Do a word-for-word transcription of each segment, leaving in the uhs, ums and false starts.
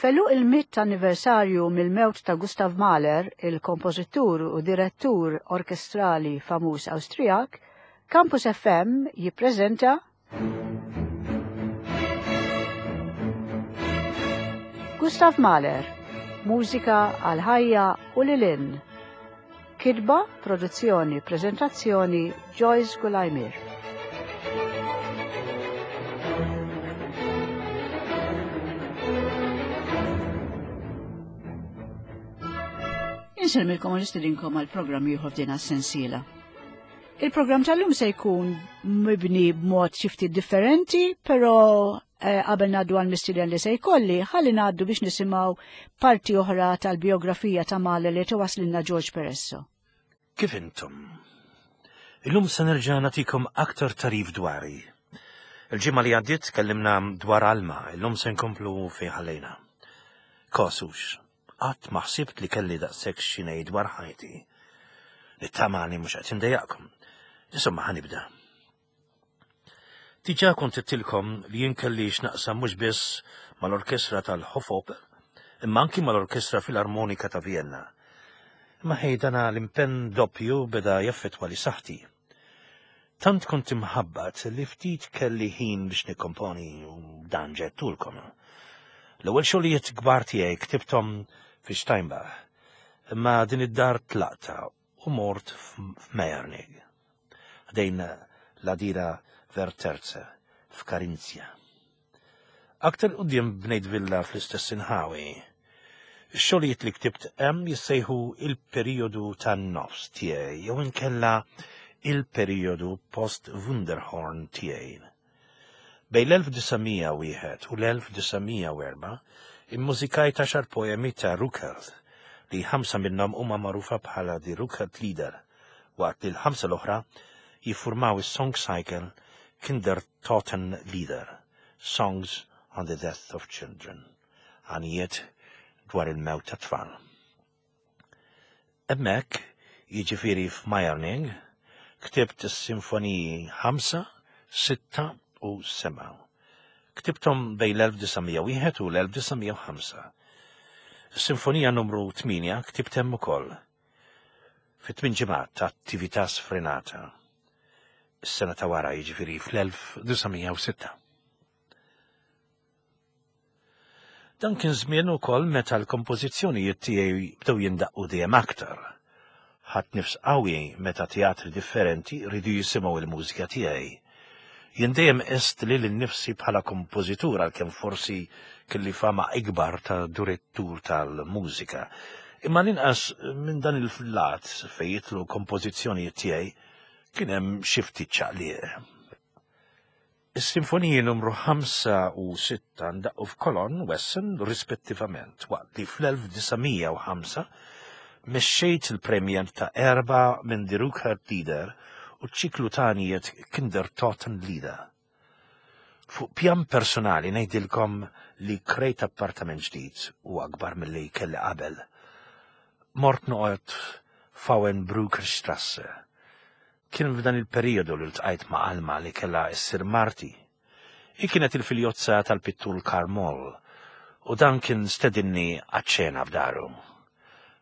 F'għeluq il-mitt anniversarju mill-mewt ta' Gustav Mahler, il-kompożitur u direttur orkestrali famuż Awstrijak, Campus F M jippreżenta Gustav Mahler, mużika għal ħajja u lil hinn. Kitba, produzzjoni, preżentazzjoni Joyce Gulajmir. Insellmilkom u nistedinkom għal programm ieħor f'din is-sensiela. Il-programm tal-lum se jkun mibni b'mod xi ftit differenti, però, eh, qabel ngħaddu għal mistieden li se jkolli, ħalli ngħaddu biex nisimgħu parti oħra tal-biografija ta' Mahler li twaslilna George Peresso. Kif intom? Illum se nerġa' nagħtikom aktar tarif dwari. Il-ġimgħa li għaddiet tkellimna dwar Alma, illum se nkomplu fejn ħallejna. Kosux, qatt ma ħsibt li kelli daqshekk xi ngħid dwar ħajti. Nittama li mhux qed indejjaqkom. Insomma, ħanibda. Diġà kont għedtilkom li jien kelli x'naqsam mhux biss mal-orkestra tal-Hofoper, imma anki mal-Orkestra Filarmonika ta' Vienna. Imma ħej dana l-impenn doppju beda jaffettwa li saħħti. Tant kont imħabbat li ftit kelli ħin biex nikkomponi u dan ġedtulkom. L-ewwel xogħlijiet kbar tiegħi ktibthom fi Steinbach, imma din id-dar tlaqta u mort f'Meiernigg, ħdejn l-għadira Verterze f'Karinzja. Aktar quddiem bnejt villa fl-istess inħawi. Ix-xogħlijiet li ktibt hemm jissejħu il-perjodu tan-nofs tiegħi jew inkella il-perjodu post-Wunderhorn tiegħi. Bejn l-elf disa' mija wieħed u l-elf disa' mija u erba' immużikajt għaxar poemi ta' Rückert li ħamsa minnhom huma magħrufa bħala Die Rückert Lieder, waqt li l-ħamsa l-oħra jiffurmaw is-song cycle Kindertoten Lieder, Songs on the Death of Children, għanijiet dwar il-mewt ta' tfal. Hemmhekk, jiġifieri f'Meiernigg, ktibt is-sinfoniji ħamsa, sitta u sebgħa. Ktibthom bejn l-elf disa' mija wieħed u l-elf disa' mija u ħamsa. Is-sinfonija numru tmienja ktibt hemm ukoll. Fi tmien ġimgħat ta' attività sfrenata. Is-sena ta' wara, jiġifieri fl-elf disa' mija u sitta. Dan kien żmien ukoll meta l-kompożizzjonijiet tiegħi bdew jindaqqu dejjem aktar. Ħadd nifs qawwi meta teatri differenti rridu jisimgħu l-mużika tiegħi. Jien dejjem qist lili nnifsi bħala kompożitur għalkemm forsi kelli fama ikbar ta' direttur tal-mużika. Imma l-inqas minn dan il-lat fejn jidħlu kompożizzjonijiet tiegħi kien hemm xi ftit ċaqliq. Is-sinfoniji numru ħamsa u sitta ndaqqu f'Cologne u Essen rispettivament, waqt li fl-elf disa' mija u ħamsa mexxejt il-premjer ta' erba' minn Die Rückert Lieder u ċiklu tanijiet Kindertoten Lieder. Fuq pjan personali ngħidilkom li krejt appartament ġdid u akbar milli kelli qabel. Mort noqgħod f'Auenbrückerstrasse. Kien f'dan il-perjodu li ltqajt ma' Alma li kellha ssir marti. Hi kienet il-filjozza tal-pittur Karl Moll u dan kien stedinni għaċ-ċena f'daru.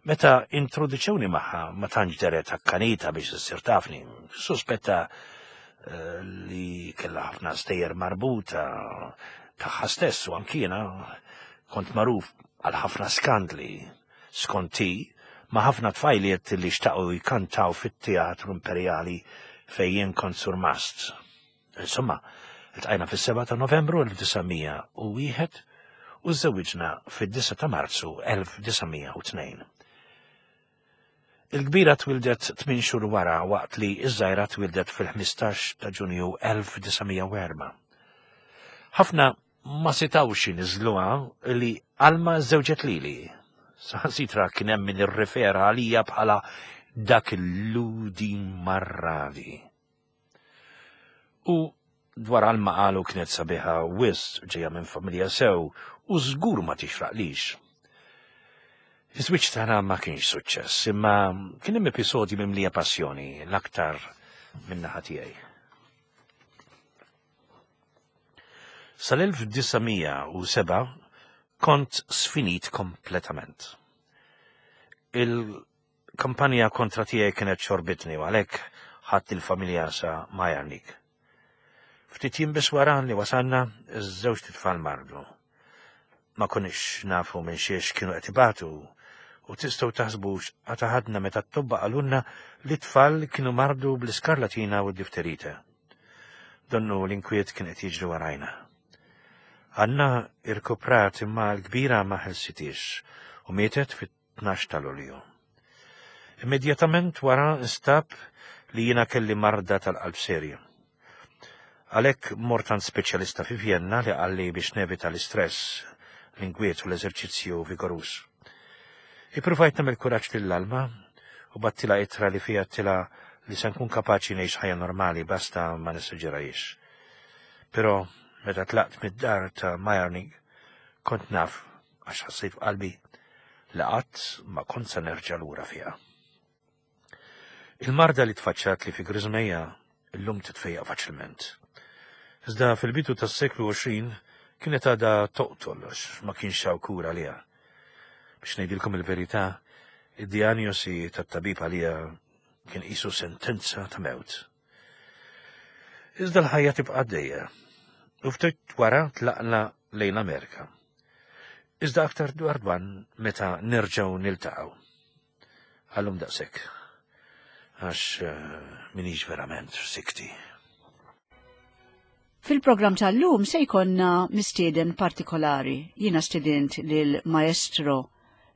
Meta introduċewni magħha ma tantx deret akkanita biex issir tafni, suspetta, eh, li kellha ħafna stejjer marbuta tagħha stess u anki jiena kont magħruf għal ħafna skandli. Skonti ma' ħafna tfajliet li xtaqu jkantaw fit-Teatru Imperjali fejn jien kont surmast. Insomma, iltqajna fis-seba' ta' Novembru elf disa' mija u wieħed u żżewwiġna fid-disa' ta' Marzu elf disa' mija u tnejn. Il-kbira twildet tmien xhur wara waqt li ż-żgħira twildet fil-ħmistax ta' Ġunju elf disa' mija u erba'. Ħafna ma setgħux iniżluha li Alma żewġet lili. Saħansitra kien hemm min irrifera għalija bħala dak il-ludi marradi. U dwar Alma qalu kienet sabiħa wisq ġejja minn familja sew u żgur ma tixraqlix. Iż-żwieġ tagħna ma kienx suċċess, imma kien hemm episodji mimlija passjoni l-aktar min-naħa tiegħi. Sal-elf disa' mija u seba' Kont sfinit kompletament. Il-kampanja kontra tiegħi kienet xorbitni u għalhekk ħadt il-familja sa Maiernigg. Ftit jiem biss wara li wasalna, iż-żewġt itfal mardu. Ma konniex nafu minn xiex kienu qed ibatu u tistgħu taħsbu x'qatgħa ħadna meta t-tobba qalulna li t-tfal kienu mardu bl-iskarlatina u d-difterite. Donnu l-inkwiet kien qed jiġri warajna. Anna irkuprat imma l-kbira ma ħelsitix u mietet fit-tnax ta' Lulju. Immedjatament wara nstab li jiena kelli marda tal-qalb serja. Għalhekk mort għand speċjalista fi Vienna li qalli biex nevita l-istress, l-inkwiet u l-eżerċizzju vigoruż. Ippruvajt nagħmel kuraġġ lil Alma u bgħattilha ittra li fiha għedtilha li se nkun kapaċi ngħix ħajja normali basta ma nesaġerajiex. Però meta tlaqt mid-dar ta' Maiernigg, kont naf għax ħassejt f'qalbi li qatt ma kont se nerġa' lura fiha. Il-marda li tfaċċat li fi griżmejja illum titfejjaq faċilment. Iżda fil-bidu tas-seklu għoxrin kienet għadha toqtol għax ma kienx hawn kura għaliha. Biex ngħidilkom il-verità, id-dijanjosi tat-tabib għalija kien qisu sentenza ta' mewt. Iżda l-ħajja tibqa' għaddejja. U ftit wara tlaqna lejn l-Amerika. Iżda aktar dwar dan meta nerġgħu niltaqgħu. Għal-lum daqshekk. Għax minix verament f'sikti. Fil-programm tal-lum se jkollna mistieden partikolari. Jiena stedint lil maestro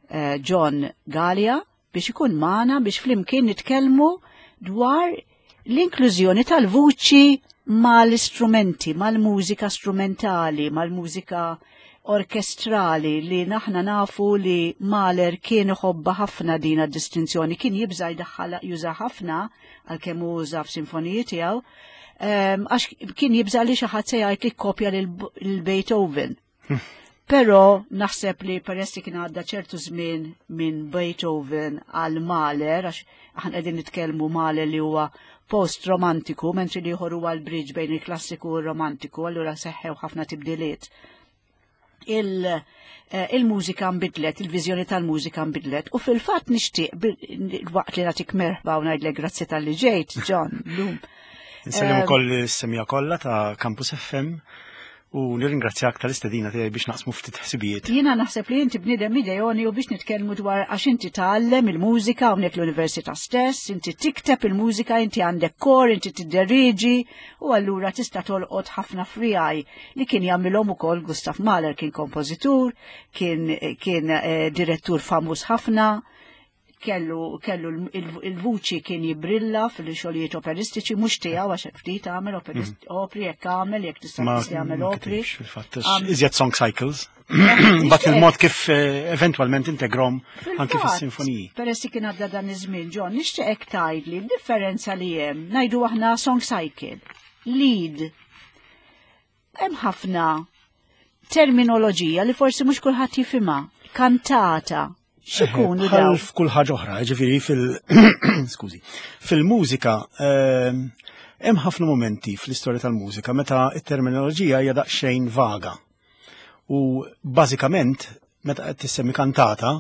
eh, John Galea biex ikun magħna biex flimkien nitkellmu dwar l-inklużjoni tal-vuċi mal-istrumenti, mal-mużika strumentali, mal-mużika orkestrali li naħna nafu li Mahler kien iħobbha ħafna din distinzjoni, kien jibża jdaħħal juża ħafna għalkemm uża f'sinfoniji tiegħu, għax kien jibża li xi ħadd se jgħid li kopja lil Beethoven. Però naħseb li peress li kien għadda ċertu żmien minn Beethoven għal Mahler, għax aħna qegħdin nitkellmu Mahler li huwa post-romantiku, mentri li ieħor huwa l-bridge bejn il-klassiku u r-romantiku, allura seħħew ħafna tibdiliet. Il-mużika nbidlet, il-viżjoni tal-mużika nbidlet, u fil-fatt nixtieq waqt li nagħtik merħba u ngħidlek grazzi talli ġejt, John, lum. Insellem ukoll is-semmiegħa kollha ta' Campus F M u nirringrazzjak tal-istedina tiegħi biex naqsmu ftit ħsibijiet. Jiena naħseb li inti bniedem ideali u biex nitkellmu dwar għax inti tgħallem il-mużika hawnhekk l-università stess, inti tikteb il-mużika, inti għandek kor, inti tidderiġi u allura tista' tolqot ħafna frijaj li kien jagħmilhom ukoll Gustav Mahler, kien kompożitur, kien, kien eh, direttur famuż ħafna, kellu, kellu il-vuċi kien jibrilla fil-xogħlijiet operistiċi, mhux tiegħu għax ftit għamel opri, jekk għamel, jekk tista' jagħmel opri. Fil-fatt, iżjed song cycles. But il-mod kif eh, eventualment integrahom anki fis-sinfoniji. Peress kien għadda dan iż-żmien, John, nixtieqek tgħidli l-differenza li hemm, ngħidu aħna song cycle, lied. Hemm ħafna terminoloġija li forsi mhux kulħadd jifhimha, kantata. X'ikunu Bħal daw? f'kull ħaġa oħra, ġifieri fil skużi, fil-mużika ehm, hemm ħafna momenti fl-istorja tal-mużika meta t-terminoloġija hija daqsxejn vaga. U bażikament meta qed tissemmi kantata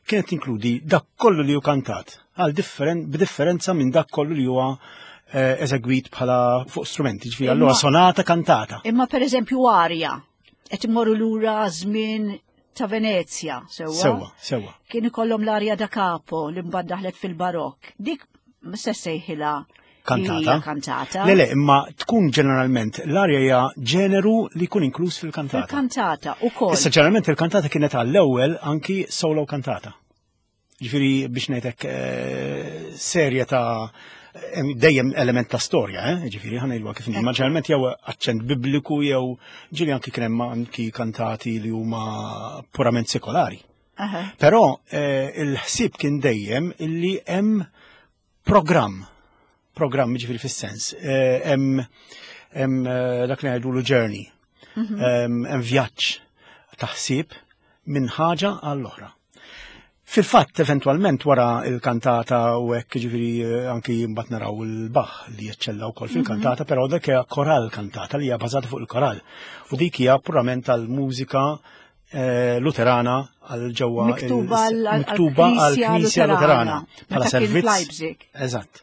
kienet tinkludi dak kollu li hu kantat għal differen, b'differenza minn dak kollu li huwa eh, eżegwit bħala fuq strumenti, ġifieri allura sonata kantata. Imma per eżempju arja, qed immorru lura żmien ta' Venezia, sewwa? Sewwa, sewwa. Kien ikollhom l-arja da capo li mbagħad daħlet fil-barokk. Dik se sejħilha Kantata. Kantata. Le, le, imma tkun ġeneralment l-arja hija ġeneru li jkun inkluż fil-kantata. Fil-kantata ukoll. Issa ġeneralment il-kantata kienet għall-ewwel anki solo kantata. Ġifieri biex ngħidlek eh, serje ta' dejjem element ta' storja, eh? Ġifieri ħa ngħidu kif ma ġeneralment jew aċċent bibliku jew ġieli anki kien hemm anki kantati li huma purament sekolari. Però eh, il-ħsieb kien dejjem illi hemm programm, programm ġifieri fis-sens, eh, hemm hemm dak li ngħidulu journey, mhm. hemm vjaġġ ta' ħsieb minn ħaġa għall-oħra. Fil-fatt, eventualment, wara il-kantata u hekk ġifieri eh, anki mbagħad naraw il-Bach li jeċċella wkoll fil-kantata, mhm. però dak hija koral kantata li hija bażata fuq il-koral. U dik hija purament tal-mużika eh, Luterana għal ġewwa Miktuba għal- miktuba għall-Knisja għall-Knisja Luterana. Luterana Meta bħala kien servizz. f'Leipzig. Eżatt.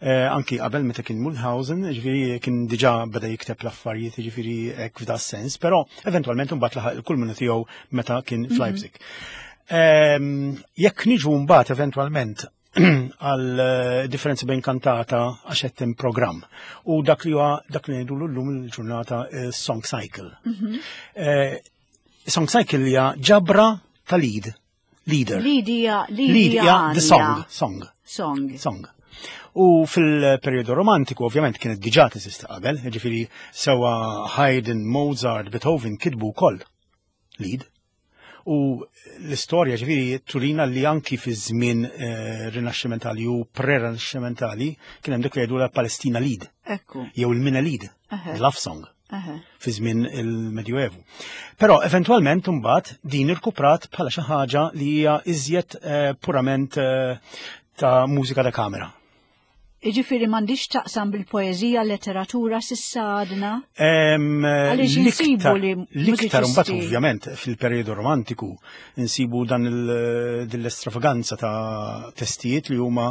Eh, anki qabel meta kien Mulhausen, ġifieri kien diġà beda jikteb l-affarijiet, ġifieri hekk f'da sens, però eventwalment imbagħad laħaq il-kulminu tiegħu meta kien f'Leipzig. Ehm, Jekk niġu mbagħad eventwalment għal eh, differenzi bejn kantata għax qed hemm programm u dak li huwa dak li ngħidulu llum il-ġurnata eh, song cycle. Eh, Song cycle hija ġabra ta' lied, lieder. Lied hija Lied hija the song, song Song. song. U fil-periodu romantiku ovvjament kienet diġà teżisti qabel, ġifieri sewa Haydn, Mozart, Beethoven kitbu wkoll lied. U l-istorja ġifieri turina li anki fi żmien eh, rinaxximentali u pre-rinaxximentali kien hemm dik li jgħidu la Palestina Lied Ekku. jew il-Minne Lied, Eħe. love song Eħe. fi żmien il-Medjuevu. Però eventwalment imbagħad din irkuprat bħala xi ħaġa li hija iżjed eh, purament eh, ta' mużika da kamera. Iġifieri m'għandix taqsam bil-poeżija, letteratura s'issa għadna. Em, Għaliex insibu l-iktar- li L-iktar mbagħad mużiċisti- ovvjament fil-perjodu romantiku insibu dan il- din l-estravaganza ta' testijiet li huma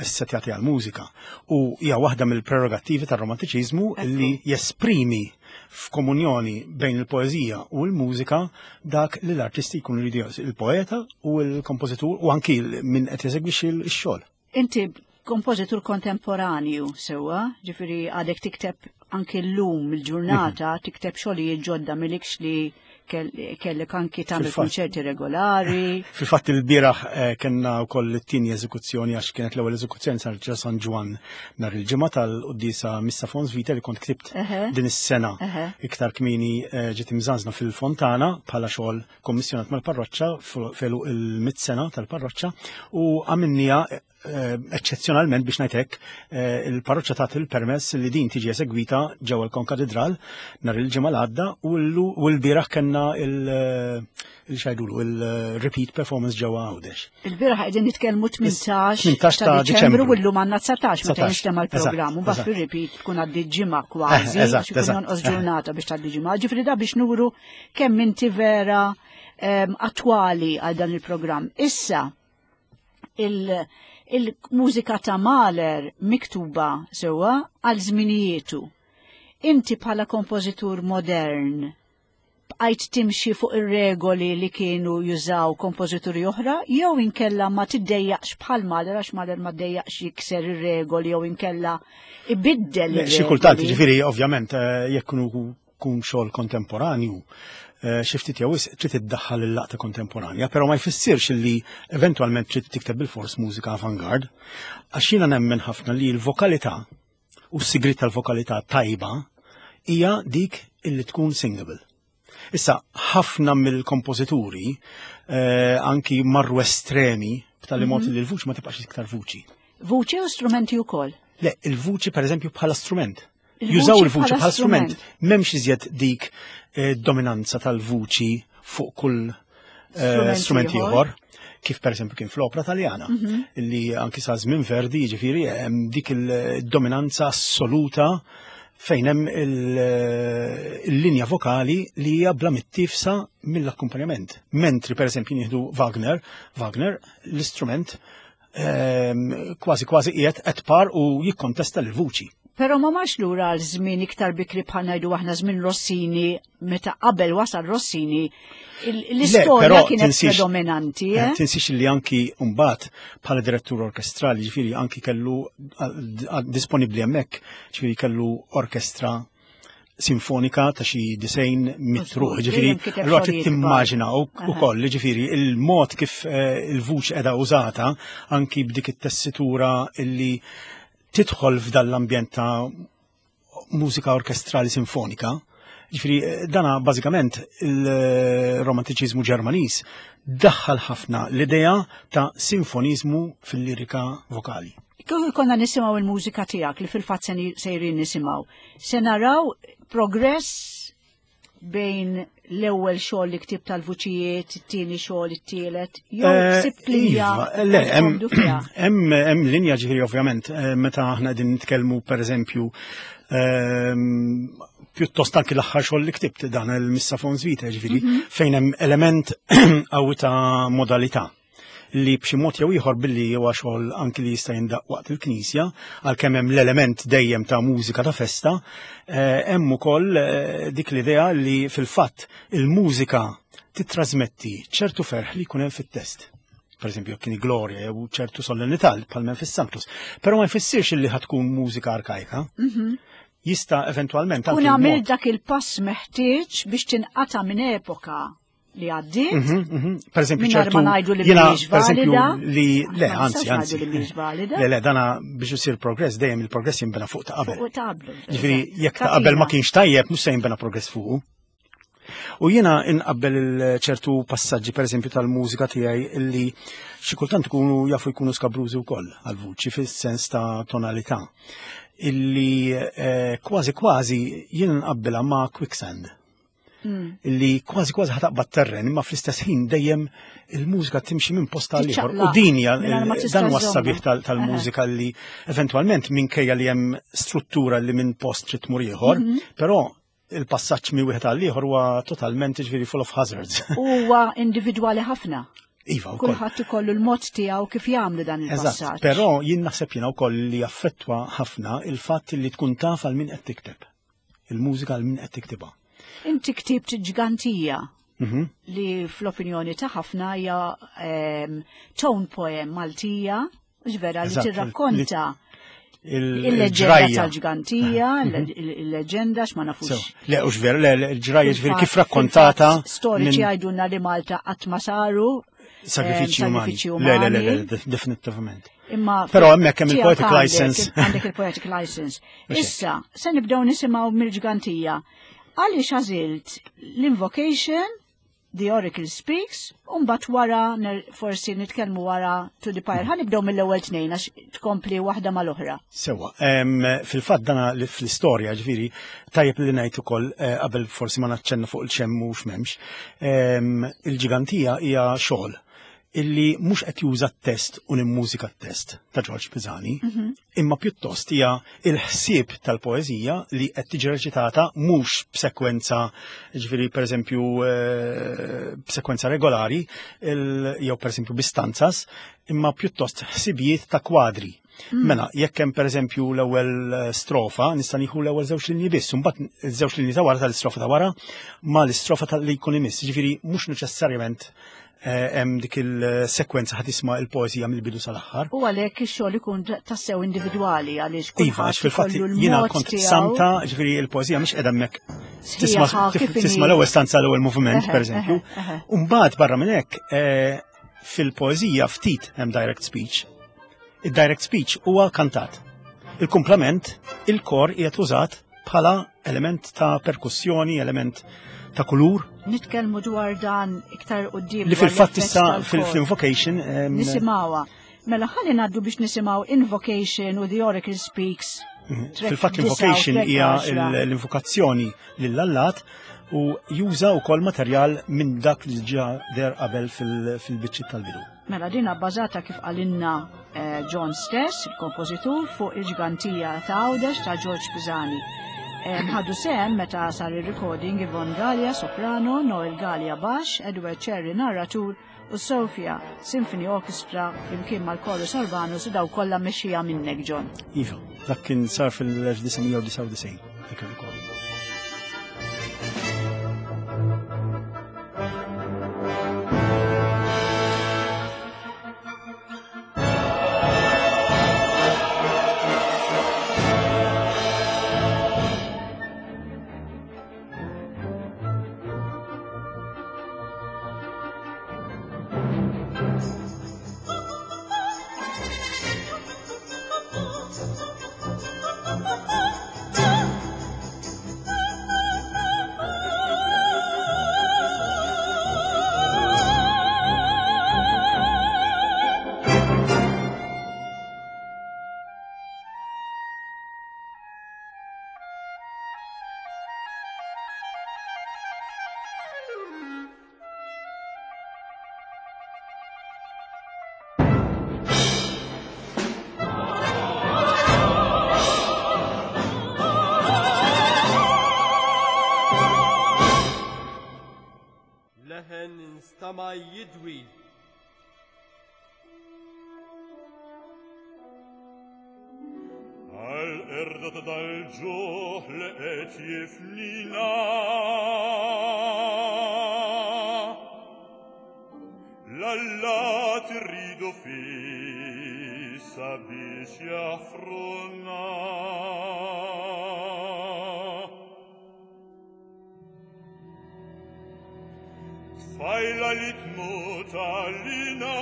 setjati għal mużika. U hija waħda mill-prerogattivi tar-romantiċiżmu li jesprimi f'komunjoni bejn il-poeżija u l-mużika dak li l-artisti jkunu jridu il-poeta u l-kompożitur u anki min qed jeżegwixxi x-xogħol. Inti kompożitur kontemporanju sewa, ġifieri għadek tikteb anki l-lum il-ġurnata, Mhm. tikteb xogħlijiet ġodda milikx li kell- kellek anki tagħmel Fil-fatt. konċerti regolari. Fil-fatt il-bieraħ eh, kellna wkoll it-tieni eżekuzzjoni għax kienet l-ewwel eżekuzzjoni sar ġo San Ġwann nhar il-ġimgħa tal-quddiesa Missa Fons Vita li kont ktibt Eħe. din is-sena Eħe. iktar kmieni eh, ġiet imżanżna fil-Fontana bħala xogħol kommissjonat mal-parroċċa felu il-mit sena tal-parroċċa u għamilniha eh, eċċezzjonalment biex ngħid hekk eh, il-parroċċa tat il-permess li din tiġi eżegwita ġewwa l-Konkatedral nhar il-ġimgħa l-għadda u l- u l-bieraħ kellna il- il-xajdulu il-repeat performance ġewwa Għawdex. Il-bieraħ qegħdin nitkellmu tmintax tmintax ta' ta' Diċembru Diċembru. u llum għandna dsatax meta dsatax, jinstema' l-programm. U eżatt, mbagħad eżatt. fir-repeat tkun għaddi ġimgħa kważi, Eh, eżatt, għax ikun eżatt. jonqos ġurnata biex tgħaddi ġimgħa. Ġifieri da biex nuru kemm inti vera em, attwali għal dan il-programm. Issa, il- il-mużika ta' Mahler miktuba sewa għal żminijietu. Inti bħala kompożitur modern bqajt timxi fuq ir-regoli li kienu jużaw kompożituri oħra, jew inkella ma tiddejjaqx bħal Mahler, għax Mahler ma ddejjaqx jikser ir-regoli jew inkella ibiddel Le, ir-regoli. Xi kultant, ġifieri, ovvjament, eh, jekk kunu kun xogħol kontemporanju, eh, xi ftit jew wisq trid iddaħħal il-laqta kontemporanja, però ma jfissirx li eventwalment trid tikteb bil-fors mużika avant-garde, għax jiena nemmen ħafna li l-vokalità u s-sigrit tal-vokalità tajba hija dik illi tkun singable. Issa, ħafna mill-kompożituri eh, anki marru estremi b'tali mod li l-vuċi ma tibqax iktar vuċi. Vuċi u strumenti wkoll. Le, il-vuċi per eżempju bħala strument. Il-vuċi Jużaw il-vuċi bħala bħala strument. strument. M'hemmx iżjed dik eh, dominanza tal-vuċi fuq kull eh, Strument strument ieħor. ieħor. Kif per eżempju kien fl-opera taljana, illi anki sa żmien Verdi, jiġifieri hemm dik il-dominanza assoluta fejn hemm il- il-linja vokali li hija bla mittifsa mill-akkumpanjament. Mentri per eżempju nieħdu Wagner, Wagner l-istrument ehm, kważi kważi qiegħed qed par u jikkontesta l-vuċi. Però ma marx lura għal żmien iktar bikri bħal ngħidu aħna żmien Rossini, meta qabel wasal Rossini, il- l-istorja però kienet tinsiex- predominanti, Eh, eh? Tinsiex li anki mbagħad bħala direttur orkestrali, ġifieri anki kellu disponibbli hemmhekk, ġifieri kellu orkestra sinfonika ta' xi disgħin mitt ruħ, Mhux, ġifieri dejjem kiteb allura trid xogħlijiet timmaġina kbar. ukoll, ġifieri il-mod kif eh, il-vuċi qiegħda użata anki b'dik it-tessitura illi tidħol f'dan l-ambjent ta' mużika orkestrali sinfonika. Ġifieri, eh, dana bażikament il-romantiċiżmu Ġermaniż daħħal ħafna l-idea ta' sinfonizmu fil-lirika vokali. Kieku konna nisimgħu il-mużika tiegħek li fil-fatt se ni- sejrin nisimgħu. Se naraw progress bejn l-ewwel xogħol li ktib tal-vuċijiet, it-tieni xogħol, it-tielet, jew Eh, sibt linja Iva, le, hemm tkomdu fiha. hemm hemm linja ġifieri ovvjament, eh, meta aħna qegħdin nitkellmu pereżempju ehm, Pjuttost anki l-aħħar xogħol li ktibt dan il-Missa Fons Vitae, ġifieri, fejn hemm element qawwi ta' modalità li b'xi mod jew ieħor billi huwa xogħol anki li jista' jindaq waqt il-knisja, għalkemm hemm l-element dejjem ta' mużika ta' festa, eh, hemm ukoll eh, dik l-idea li fil-fatt il-mużika titrasmetti ċertu ferħ li jkun hemm fit-test. Per eżempju, kien glorja jew ċertu solennità bħal fis-Sanctus. Però ma jfissirx li ħa tkun mużika arkajka. Jista' eventwalment Kun anki għamil l-mod- dak il-pass meħtieġ biex tinqata' minn epoka li għaddiet. Mhm, mhm. Per eżempju, Mingħajr ċertu ma ngħidu li jiena, mhijiex per eżempju, valida. li le, Ma anzi, nistgħux anzi. ngħidu li mhijiex valida. Le, le, dana biex isir progress, dejjem il-progress jinbena fuq ta' qabel. Fuq ta' qablu. Ġifieri, jekk ta' qabel ma kienx tajjeb, mhux se jinbena progress fuqu. U jiena inqabbel il-ċertu passaġġi, per eżempju, tal-mużika tiegħi illi xi kultant ikunu jafu jkunu skabrużi wkoll għal-vuċi fis-sens ta' tonalità. Illi eh, kważi kważi jiena nqabbilha ma' quicksand. Illi kważi kważi ħa taqbad terren, imma fl-istess ħin dejjem il-mużika timxi minn post għal ieħor. U Tiċċaqlaq, din hija mingħajr ma tista' dan huwa żżommha. s-sabiħ tal- tal-mużika li eventwalment minkejja li hemm struttura li minn post trid tmur ieħor, però il-passaġġ minn wieħed għal ieħor huwa totalment ġifieri full of hazards. Huwa individwali ħafna. Iva wkoll. Kulħadd ikollu l-mod tiegħu kif jagħmlu dan Eżatt, il-passaġġ. però jien naħseb jiena wkoll li jaffettwa ħafna il-fatt li tkun taf għal min qed tikteb. Il-mużika għal min qed tiktibha. Inti ktibt ġgantija Mhm. li fl-opinjoni ta' ħafna hija ehm, tone poem Maltija, ġvera li Eżatt, tirrakkonta Il- il-leġenda il-ġrajja. tal-ġgantija, il-leġenda x'ma nafux. So, Le, ux ver, le, le, il-ġrajja ġifieri kif Fil-fatt- rakkontata fil-fatt Storiċi minn għajdunna li Malta qatt ma saru sagrifiċi ehm, umani. sagrifiċi Le, le, le, le, umani. def- definitivament. Imma Però hemmhekk hemm tiegħek il-poetic għandek- license. Għandek il-poetic license. Mhux hekk. Issa, se nibdew nisimgħu mill-ġgantija. Għaliex għażilt l-invocation, The Oracle Speaks, u mbagħad wara ner- forsi nitkellmu wara To the Pyre. Ħa nibdew mill-ewwel tnejn għax tkompli waħda mal-oħra. Sewa, em, fil-fatt dana li fl-istorja ġifieri, tajjeb li ngħid ukoll eh, qabel forsi ma naċċenna fuq il-ċemm u x'memx, em, il-ġigantija hija xogħol illi mhux qed juża t-test u l-mużika t-test ta' George Pisani, imma pjuttost hija il-ħsieb tal-poeżija li qed tiġi reċitata mhux b'sekwenza, ġifieri pereżempju eh, b'sekwenza regolari, il- jew pereżempju bi stanzas, imma pjuttost ħsibijiet ta' kwadri. Mela, jekk hemm pereżempju l-ewwel eh, strofa, nista' nieħu l-ewwel żewġ linji biss, u mbagħad iż-żewġ linji ta' wara tal-istrofa ta' wara ma l-istrofa tal-li jkun imiss. Ġifieri mhux neċessarjament eh, hemm dik il-sekwenza ħa tisma' il-poeżija mill-bidu sal-aħħar. U għalhekk ix-xogħol ikun tassew individwali għaliex Iva, għax kulħadd fil-fatt ikollu jiena l-mod kont tiegħu. samta, ġifieri il-poeżija mhix qiegħda hemmhekk tisma' Sħiħa, tif- kif inhi. tisma' l-ewwel stanza l-ewwel moviment, Eħe, pereżempju. eħe, eħe. U mbagħad barra minn hekk eh, fil-poeżija ftit hemm direct speech. Il-direct speech huwa kantat. Il-kumplament, il-kor qiegħed użat bħala element ta' perkussjoni, element ta' kulur, Nitkellmu dwar dan iktar quddiem. li dwar fil-fatt l-effett issa tal-kor. fil- fil-invocation em, Nisimgħuha. Mela ħalli ngħaddu biex nisimgħu Invocation u The Oracle Speaks. Track Fil-fatt disa' u l-invocation track hija għaxra. l- l-invokazzjoni lill-allat u juża wkoll materjal minn dak li ġa der qabel fil- fil-biċċiet tal-bidu. Mela dina bbażata kif qalinna eh, John stess, il-kompożitur, fuq il-ġgantija ta' Għawdex ta' George Pisani. Eh, Ħadu sehem meta sar il-recording Yvonne Gallia soprano, Noel Gallia bass, Edward Cherry narratur u Sofia Symphony Orchestra flimkien mal-Chorus Urbanus u daw kollha mexxija minnek John. Iva, dak kien sar fil-elf disa' mija u disgħa u disgħin, dak il-recording. Thank you. Għal-qerda ta' dal-ġuħ li qed jifnina. L-alla tridu fissa biex jaħfruna. Tfajla li tmut għalina.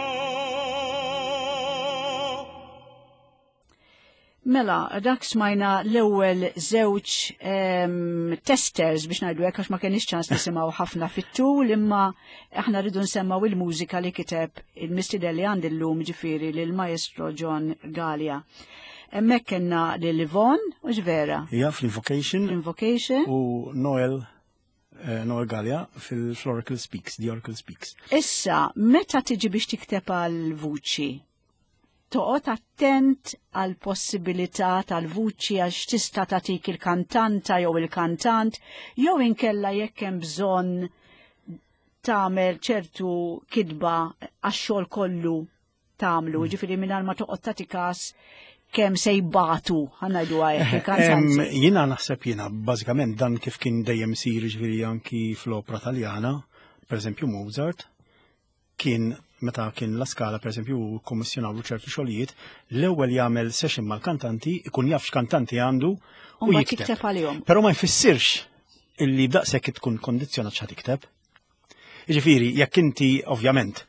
Mela, dak smajna l-ewwel żewġ um, testers biex ngħidu hekk għax ma kenix ċans nisimgħu ħafna fit-tul, imma aħna rridu nsemmaw il-mużika li kiteb il-mistieden li għandi llum, ġifieri lil Maestro John Galea. Hemmhekk kellna lil Yvonne, u vera? Ija, fl-Invocation. Invocation. U Noel, eh, Noel Galea fil-Oracle Speaks, The Oracle Speaks. Issa, meta tiġi biex tikteb għal-vuċi, toqgħod attent għal possibilità tal-vuċi għax tista' tagħtik il-kantanta jew il-kantant, jew inkella jekk hemm bżonn tagħmel ċertu kidba għax-xogħol kollu tagħmlu, mm. ġifieri mingħajr ma toqgħod tagħti każ kemm se jbatu, ħa ngħidu hekk il-kantanti. Jiena naħseb jiena bażikament dan kif kien dejjem isir, ġifieri anki fl-opra Taljana, pereżempju Mozart, kien meta kien La Scala, per eżempju, kommissjonawlu ċertu xogħlijiet, l-ewwel jagħmel session mal-kantanti, ikun jaf x'kantanti għandu u jikteb. Però ma jfissirx illi b'daqshekk tkun kondizzjonat x'ħa tikteb. Jiġifieri, jekk inti ovvjament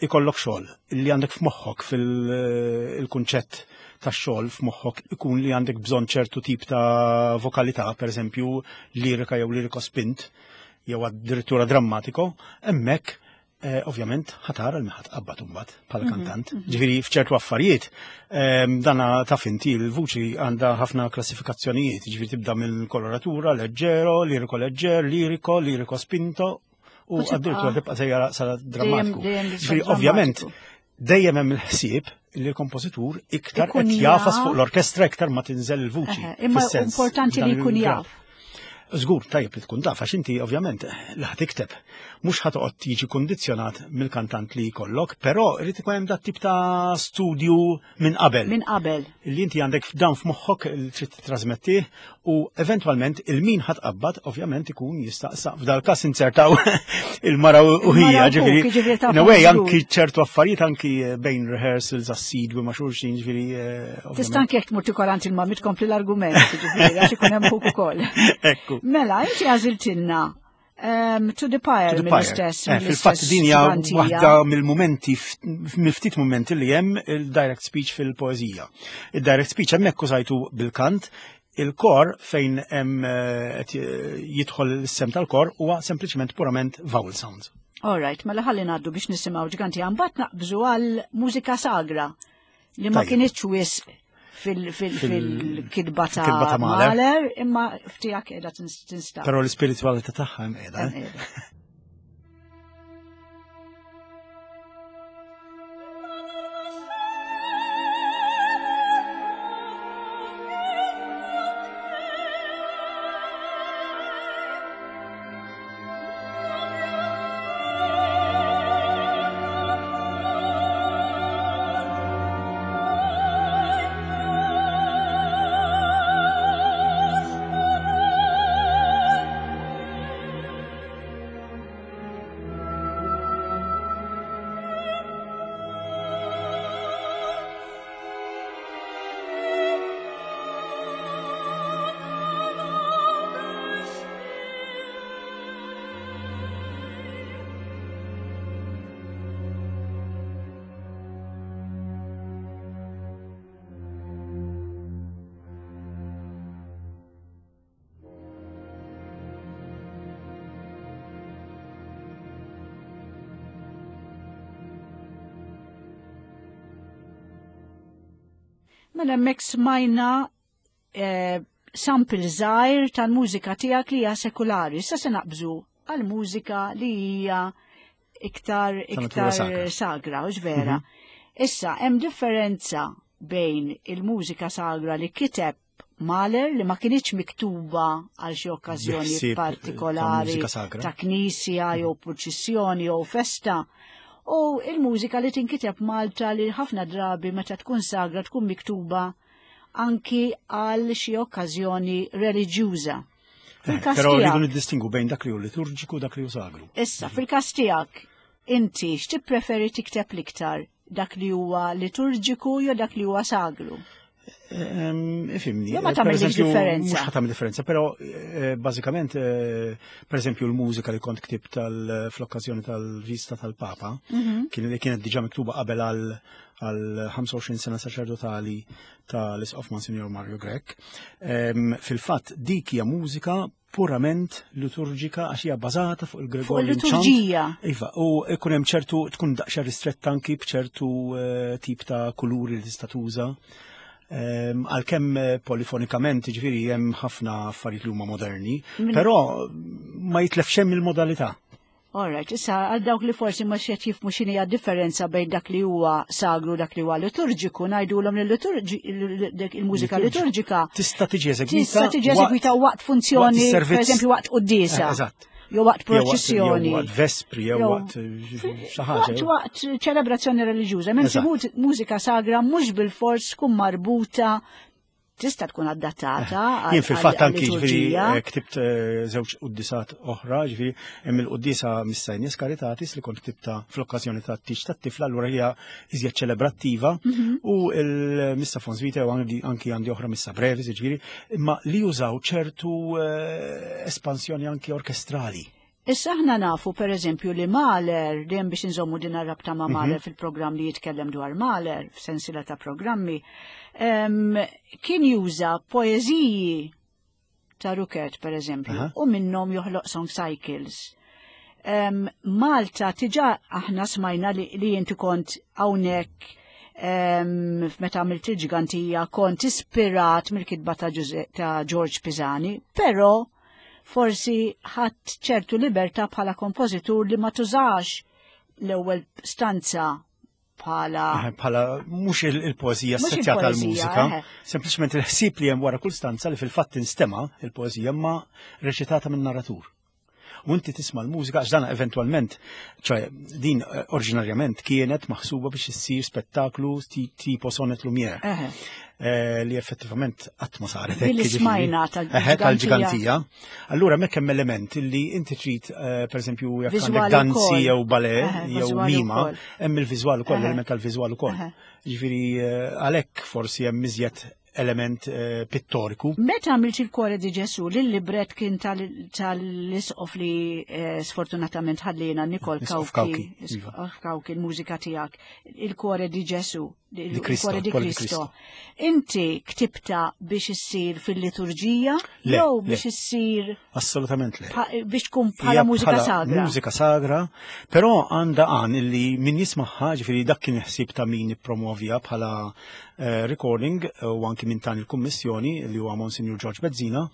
ikollok xogħol illi għandek f'moħħok fil-kunċett tax-xogħol f'moħħok ikun li għandek bżonn ċertu tip ta' vokalità, per eżempju, lirika jew liriko spint, jew addirittura drammatico, hemmhekk Eh, ovvjament ħatara l ħat qabbat imbagħad bħala kantant. Ġifieri f'ċertu affarijiet ehm, dana taf inti l-vuċi għandha ħafna klassifikazzjonijiet, ġifieri tibda minn koloratura, leggero, liriko leġġer, liriko, liriko spinto u addirittura tibqa' sejra sa drammatiku. Ġifieri ovvjament dejjem hemm il-ħsieb li l-kompożitur iktar qed jafas fuq l-orkestra iktar ma tinżel il-vuċi. Imma importanti li jkun jaf. Żgur tajjeb li tkun taf, għax inti ovvjament li ħa tikteb. Mhux ħa toqgħod tiġi kondizzjonat mill-kantant li jkollok, però irid ikun hemm dat tip ta' studju minn qabel. Minn qabel. Li inti għandek dan f'moħħok li trid titrasmettih u eventwalment il-min ħa tqabbad ovvjament ikun jista' f'dal każ insertaw il-mara u hija, ġifieri. In a way anki ċertu affarijiet anki bejn rehearsals assidwi ma' xulxin, ġifieri. Tista' anke jekk tmur tikolant il-mammi tkompli l-argument, ġifieri, għax ikun hemm ħuk ukoll. Ekku. Mela, inti għażiltilna um, To the Pyre mill-istess. Eh, fil-fatt din hija waħda mill-mumenti, mill-ftit mumenti li hemm il-direct speech fil-poeżija. Il-direct speech hemmhekk użajtu bil-kant, il-kor fejn hemm jidħol is-sem tal-kor huwa sempliċement purament vowel sounds. All right, mela ħalli ngħaddu biex nisimgħu ġganti mbagħad naqbżu għal mużika sagra li ma kinitx wisq fil-kidba ta' Mahler, imma ftijak qiegħda tinstab. Però l-ispiritualità tagħha hemm qiegħda. Mela hemmhekk smajna eh, sample żgħir tal-mużika tiegħek li hija sekulari. Issa se naqbżu għal mużika li hija iktar iktar sagra, u vera. Mhm. Issa hemm differenza bejn il-mużika sagra li kiteb Mahler li ma kienx miktuba għal xi okkażjoni partikolari ta' knisja jew purċissjoni jew festa. U il-mużika li tinkiteb Malta li ħafna drabi meta tkun sagra tkun miktuba anki għal xi okkażjoni reliġjuża. Eh, però rridu niddistingu bejn dak li hu liturġiku u dak li hu sagru. Issa, fil-każ tiegħek, inti x'tippreferi tikteb l-iktar? Dak li huwa liturġiku jew dak li huwa sagru? Ifhimni. Jew ma tagħmilx differenza. Mhux ħa tagħmel differenza, però eh, bażikament eh, per eżempju l-mużika li kont ktibt fl-okkażjoni tal-vista tal-Papa, mhm. kien kienet diġà miktuba qabel għal għal ħamsa u għoxrin sena saċerdotali tal-Isqof Monsignor Mario Grech. Fil-fatt dik hija mużika purament liturġika għax hija bbażata fuq il-Gregorian Fuq il-liturġija. Iva, u ikun hemm ċertu tkun daqsxejn ristretta anki b'ċertu eh, tip ta' kuluri li tista' tuża. Għalkemm eh, polifonikament, ġifieri hemm ħafna affarijiet li huma moderni, però ma jitlef xejn il-modalità. Alright, issa għal dawk li forsi ma xed jifmu x'inhi differenza bejn dak li huwa sagru dak li huwa liturġiku, ngħidulhom li il-mużika liturġika tista' tiġi eżegwita tista' tiġi eżegwita waqt funzjoni, pereżempju waqt quddiesa. Eh, eżatt. Jew waqt proċessjoni. Jew waqt vespri, jew waqt xi ħaġa. Waqt waqt ċelebrazzjoni reliġjuża, mentri mużika sagra mhux bilfors tkun marbuta, tista' tkun adattata. Eh, jien fil-fatt anki ġifieri eh, ktibt eh, żewġ quddisat oħra, ġifieri hemm il-quddisa Missa in Caritatis li kont ktibta fl-okkażjoni tat-tieġ tat-tifla, allura hija iżjed ċelebrattiva, mhm. u il-Missa Fons Vitae u anki għandi oħra Missa Brevis, ġifieri, imma li jużaw ċertu espansjoni anki orkestrali. Issa aħna nafu per eżempju li Mahler, dejjem biex inżommu din rabta ma' Mahler mm -hmm. fil-programm li jitkellem dwar Mahler, f'sensila ta' programmi, um, kien juża poeżiji ta' Ruckert per eżempju, uh -huh. u minnhom joħloq song cycles. Um, Malta tiġa aħna smajna li, li inti kont hawnhekk um, meta għamilt il-ġgantija kont ispirat mill-kitba ta', ta' George Pisani, però forsi ħadd ċertu libertà bħala kompożitur li ma tużax l-ewwel stanza bħala bħala mhux il-poeżija assoċjata għall-mużika, sempliċement il-ħsieb li hemm wara kull stanza li fil-fatt instema' il-poeżija ma reċitata minn narratur. U inti tisma' l-mużika għax dan eventwalment, ċoè din oriġinarjament kienet maħsuba biex issir spettaklu tipo Sonnet Lumière. Eh, li effettivament qatt ma saret hekk. Li smajna tal-ġgantija. Allura hemmhekk hemm element li inti trid eh, pereżempju jekk għandek danzi jew ballet jew mima, hemm il-viżwal ukoll, element tal-viżwal ukoll. Ġifieri eh, għalhekk forsi hemm iżjed element eh, pittoriku. Meta għamilt il-Cuore di Gesù, l-libret kien tal-isqof li eh, sfortunatament ħallina Nikol Kawki, iva. Kawki, il-mużika tiegħek, il-Cuore di Gesù, il-Cuore di Cristo. Inti ktibta biex issir fil-liturġija jew biex issir Assolutament le. Biex tkun bħala mużika sagra. Mużika sagra, però għandha għan illi min jismaħħa, ġifieri dak kien ħsieb ta' min ippromovja bħala eh, recording u anki minn tan il-kummissjoni li huwa Monsignor George Bezzina,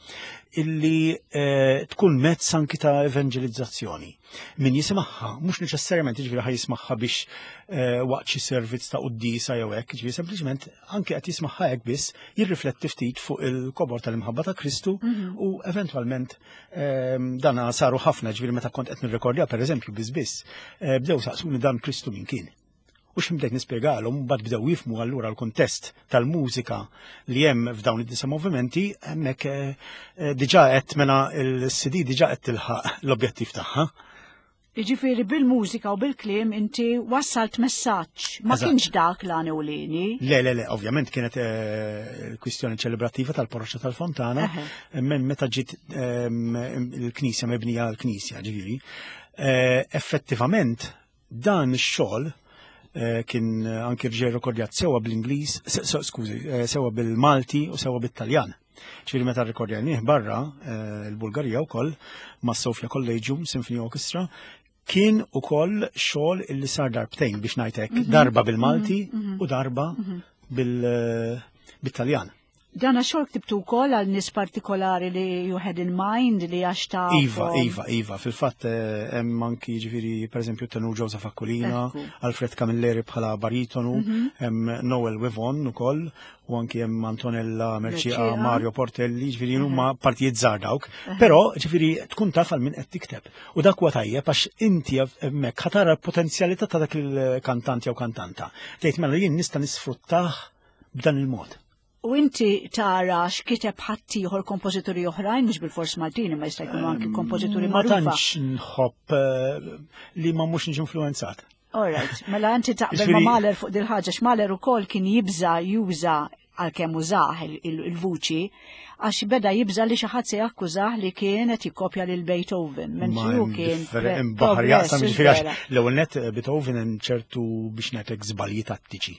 illi eh, tkun mezz anki ta' evangelizzazzjoni. Min jisimagħha, mhux neċessarjament jiġifieri ħa jismagħha biex eh, waqt xi servizz ta' quddisa jew hekk, jiġifieri sempliċement anke qed jismagħha hekk biss jirrifletti ftit fuq il-kobor tal-imħabba ta' Kristu mm-hmm. u eventwalment eh, dana saru ħafna, ġifieri meta kont qed nirrekordja pereżempju biss biss, eh, bdew saqsuni dan Kristu min kien. U x'imdejt nispjegalhom, mbagħad bdew jifhmu allura l-kuntest tal-mużika li hemm f'dawn id-disa movimenti, hemmhekk eh, diġà qed mela l-C D diġà qed tilħaq l-objettiv tagħha. Jiġifieri bil-mużika u bil-kliem inti wassalt messaġġ, ma kienx dak l-għan ewlieni. Le, le, le, ovvjament kienet il-kwistjoni ċelebrattiva tal-parroċċa tal-Fontana, minn meta ġiet il-knisja mebnija l-knisja, ġifieri. Effettivament dan ix-xogħol kien anki rġej rekordjat sewa bl-Ingliż, skużi, sewa bil-Malti u sewa bit-Taljan. Ġifieri meta rrekordjanih barra il-Bulgarija wkoll ma' Sofia Collegium Symphony Orchestra, kien ukoll xogħol illi sar darbtejn biex ngħid hekk, darba bil-Malti u darba bil-Taljan. Dana xogħol ktibtu wkoll għal nies partikolari li you had in mind li għax ta' Iva, iva, iva, fil-fatt hemm anki jiġifieri pereżempju tenur Joseph Aquilina, Alfred Camilleri bħala baritonu, hemm Noel Wivon ukoll, u anki hemm Antonella Mercia, Mario Portelli, ġifieri huma partijiet żgħar dawk, però ġifieri tkun taf għal min qed tikteb. U dak huwa tajjeb għax inti hemmhekk ħatara l-potenzjalità ta' dak il-kantant jew kantanta. Tgħid mela jien nista' nisfruttah b'dan il-mod. U inti tara x'kiteb ħaddieħor kompożituri oħrajn, mhux bilfors Maltin, imma jista' jkunu anki kompożituri Ma magħrufa. tantx nħobb eh, li ma mhux niġi influenzat. All right, mela inti taqbel ma Ġifieri- Mahler fuq dil-ħaġa, x'Mahler ukoll kien jibża juża għalkemm użah il- il- il-vuċi, għax beda jibża li xi ħadd se jakkużah li kien qed jikkopja lil Beethoven, mentri hu kien hemm baħar jaqsam progress, ġifieri għax vera. l-ewwel net eh, Beethoven hemm ċertu biex ngħidlek żbalji tattiċi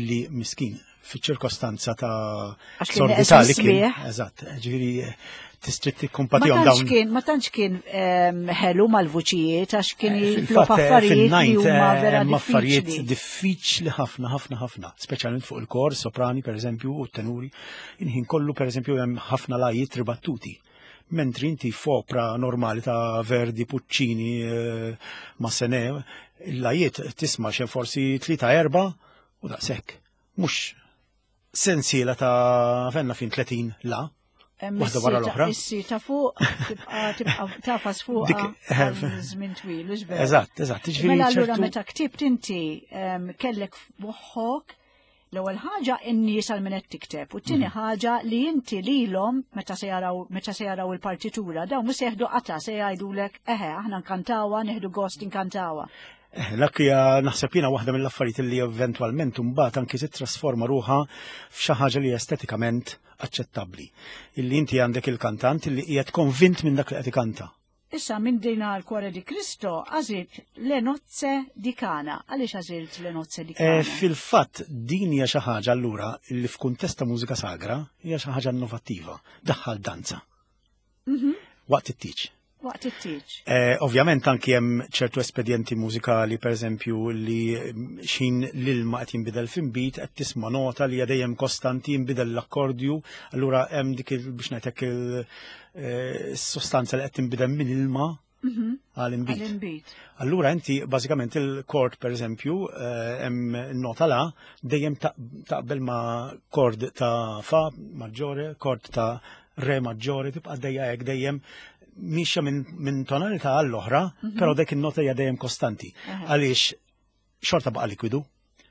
illi miskin fiċ-ċirkostanza ta' Għax kien sordità neqes li kien. mis-smieħ. Eżatt, ġifieri eh, tistrid Ma tikkumpatihom tantx dawn. kien, ma tantx kien ehm, ħelu mal-vuċijiet għax kien Eh, jitlob Fil-fatt, eh, affarijiet li fin-ninth, huma eh, vera hemm affarijiet diffiċli. diffiċli ħafna, ħafna, ħafna, speċjalment fuq il-kor, soprani per eżempju, u t-tenuri. Inħin kollu per eżempju hemm ħafna lajiet ribattuti. Mentri inti f'opra normali ta' Verdi, Puccini, eh, Massenet, il-lajiet tisma' xejn forsi tlieta erba' u daqshekk. Mhux sensiela ta' fenna fin tletin la. Hemm Waħda wara is-sita- l-oħra. Is-sita fuq tibqa' tibqa' tafas fuq Dik- għal żmien twil, hux vera? Eżatt, eżatt. Ġifieri Mela allura ċertu- meta ktibt inti em, kellek f'moħħok l-ewwel ħaġa in-nies għal min qed tikteb u t-tieni Mhm. ħaġa li inti lilhom meta se jaraw meta se jaraw il-partitura dawn mhux se jeħdu qata se jgħidulek eħe aħna nkantawha nieħdu gost inkantawha. Eh, Dak hija naħseb jiena waħda mill-affarijiet li eventwalment imbagħad anki titrasforma ruħha f'xi ħaġa li estetikament aċċettabbli. Illi inti għandek il-kantant illi qiegħed konvint minn dak li qed ikanta. Issa minn dina l-Cuore di Cristo għażilt Le Nozze di Cana. Għaliex għażilt Le Nozze di Cana? Eh, Fil-fatt din hija xi ħaġa allura li f'kuntest ta' mużika sagra hija xi ħaġa innovattiva. Daħħal danza Mhm. waqt it-tieġ. Waqt it-tieġ. Eh, ovvjament anki hemm ċertu espedjenti mużikali, per eżempju, li mm, xin l-ilma qed jinbidel f'inbid, qed tisma' nota li hija dejjem kostanti jinbidel l-akkordju, allura hemm dik il biex ngħidlek il-sostanza li qed tinbidel minn ilma Mhm. għal inbid. Għal-inbid. Allura inti bażikament il-kord per eżempju eh, hemm nota la dejjem ta- taqbel ma' kord ta' fa maġġore, kord ta' re maġġore, tibqa' dejja hekk dejjem mixja minn min tonalità għall-oħra, però dik in-nota hija dejjem kostanti. Aha. Għaliex xorta baqa' likwidu,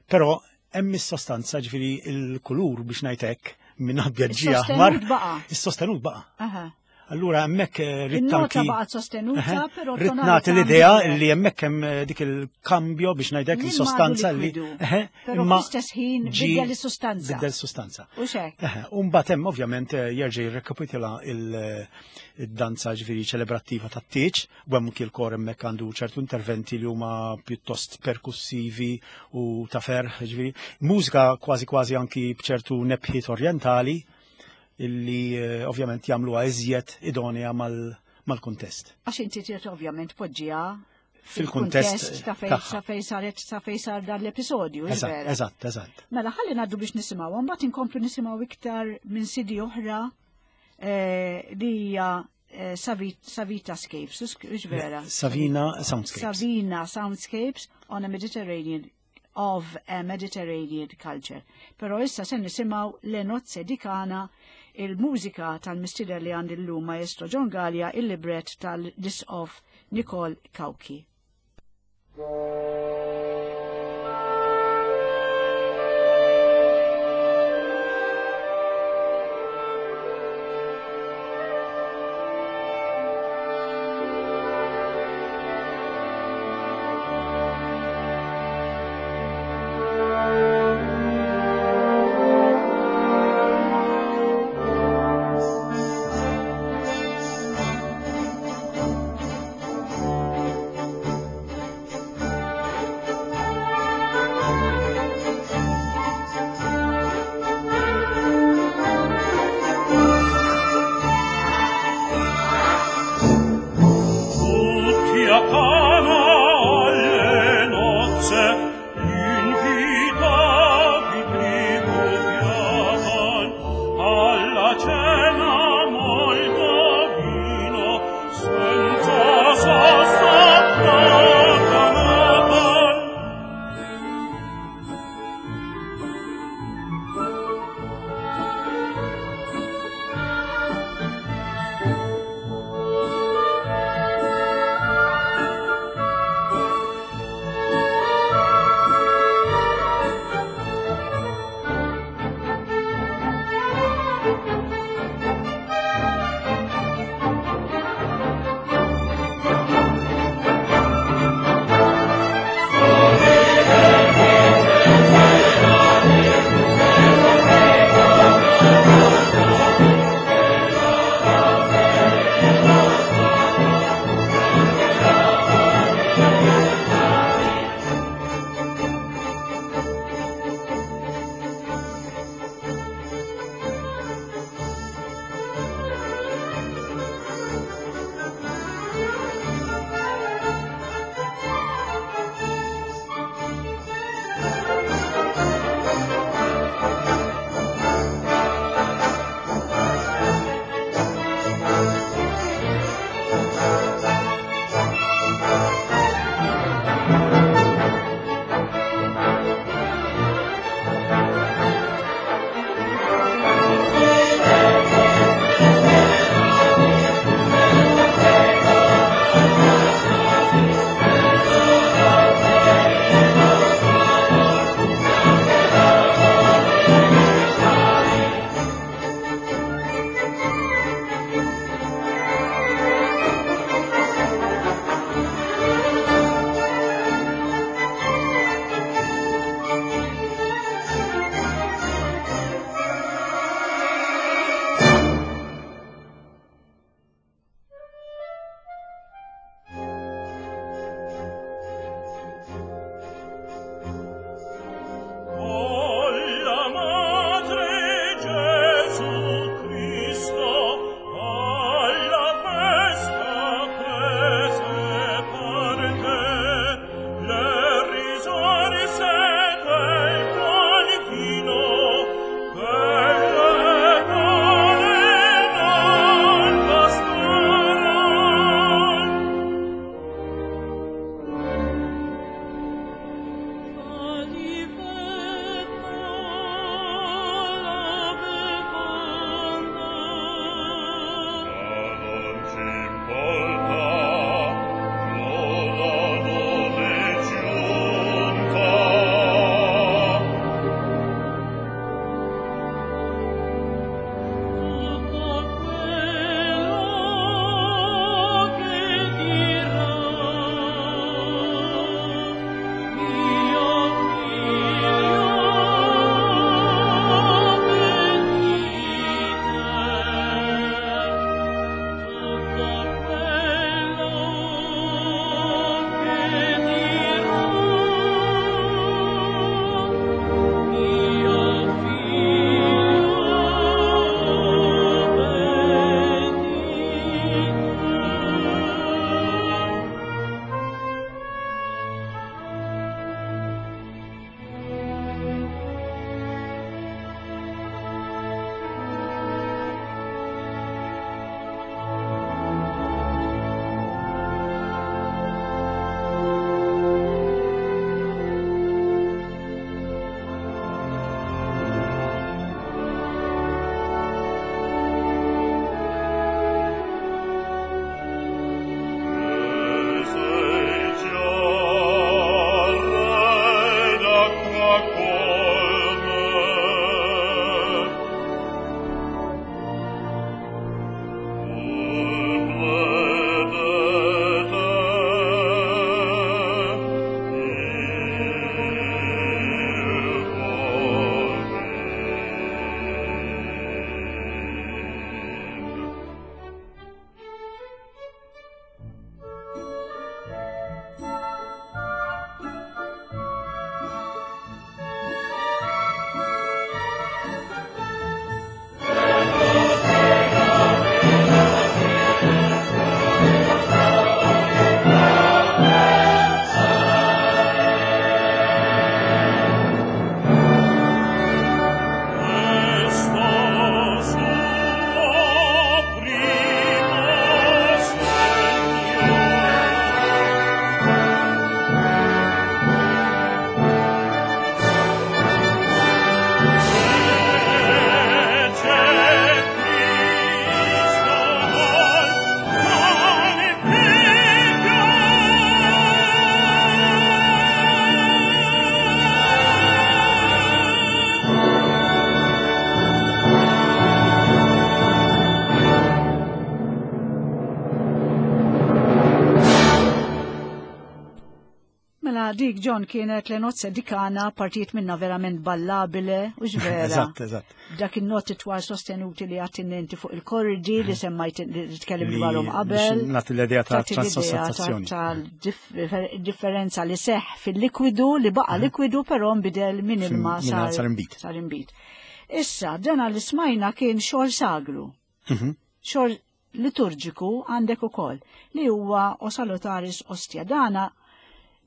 però hemm is-sostanza ġifieri il-kulur biex ngħid hekk minn abjad ġie aħmar. Is-sostenut baqa'. Is-sostenut baqa'. Aha. Allura hemmhekk eh, ridt Il-nota anki- baqgħet sostenuta, Eħe, però Rrid tonalità nagħti l-idea nbidlet. li hemmhekk hemm eh, dik il-kambjo biex ngħidlek L-ilma is-sostanza għadu li likwidu, eħe, però imma fl-istess ħin ġie biddel is-sustanza. Biddel is-sustanza. U xek. Eħe, U mbagħad hemm ovvjament eh, jerġa' jirrekapitula il- eh, id-danza ġifieri ċelebrattiva tat-tieġ, u hemm anki l-kor hemmhekk għandu ċertu interventi li huma pjuttost perkussivi u ta' ferħ, ġifieri mużika kważi kważi anki b'ċertu nebħiet orjentali illi eh, ovvjament jagħmluha iżjed idonea mal- mal-kuntest. Għax inti trid ovvjament poġġiha Fil-kuntest ta' fejn tagħha. sa fejn saret sa fejn sar dan l-episodju, Eżatt, vera. eżatt, eżatt. Mela ħalli ngħaddu biex nisimgħu, mbagħad inkomplu nisimgħu iktar minn sidi oħra eh, li hija eh, Savi- Savita Scapes, hux vera? Savina Soundscapes. Savina Soundscapes on a Mediterranean of a Mediterranean culture. Però issa se nisimgħu Le Nozze di Cana, il-mużika tal-mistider li għandi llum Maestro John Gallia, il-libret tal-Dis-Off Nicole Cauchi. Thank Mela dik John kienet Le nozze di Cana, partijiet minna verament ballabile, u vera. Eżatt, eżatt. Dak in-noti twal sostenuti li għattinenti fuq il-kordi li semmajt li tkellim dwarhom qabel. Nagħti l-idea ta' transostanzazzjoni. Tal-differenza li seħ fil-likwidu li baqa likwidu però nbidel minn ilma sar imbit. Sar imbit. Issa, dana li smajna kien xogħol sagru. Mhm. Xogħol liturġiku għandek ukoll li huwa O Salutaris Ostia. Dana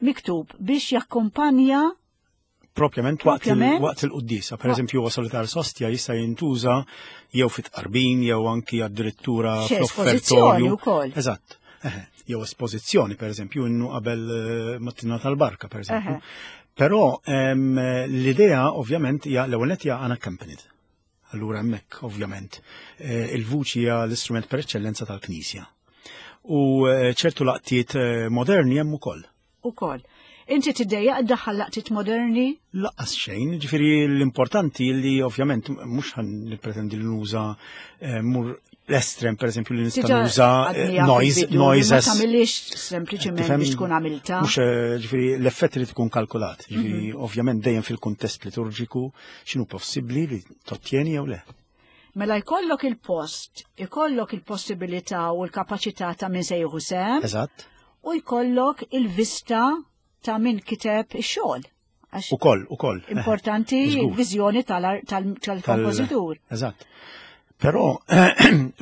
miktub biex jakkumpanja propjament waqt waqt il-quddisa. Per eżempju, O Salutaris Ostia jista' jintuża jew fit-qarbin jew anki addirittura fl-offertorju. Eżatt. Jew espożizzjoni, per eżempju, innu qabel mattina tal-barka, per eżempju. Però l-idea ovvjament hija l-ewwel nett hija unaccompanied. Allura hemmhekk ovvjament il-vuċi hija l-istrument per eċċellenza tal-Knisja. U ċertu laqtiet moderni hemm ukoll. Ukoll. Inti tiddejjaq iddaħħal laqtiet moderni? Laqqas xejn, ġifieri l-importanti li ovvjament mhux ħan nippretendi li nuża mur l-estrem, per eżempju, li nista' nuża noise, noises. Ma tagħmilix sempliċement biex tkun għamilta. Mhux ġifieri l-effett li tkun kalkulat. Ġifieri ovvjament dejjem fil-kuntest liturġiku x'inhu possibbli li tottieni jew le. Mela jkollok il-post, ikollok il-possibilità u l-kapaċità ta' min se jieħu sehem. Eżatt. U jkollok il-vista ta' min kiteb ix-xogħol. Ukoll, ukoll. Importanti l-viżjoni tal-kompożitur. Eżatt. Però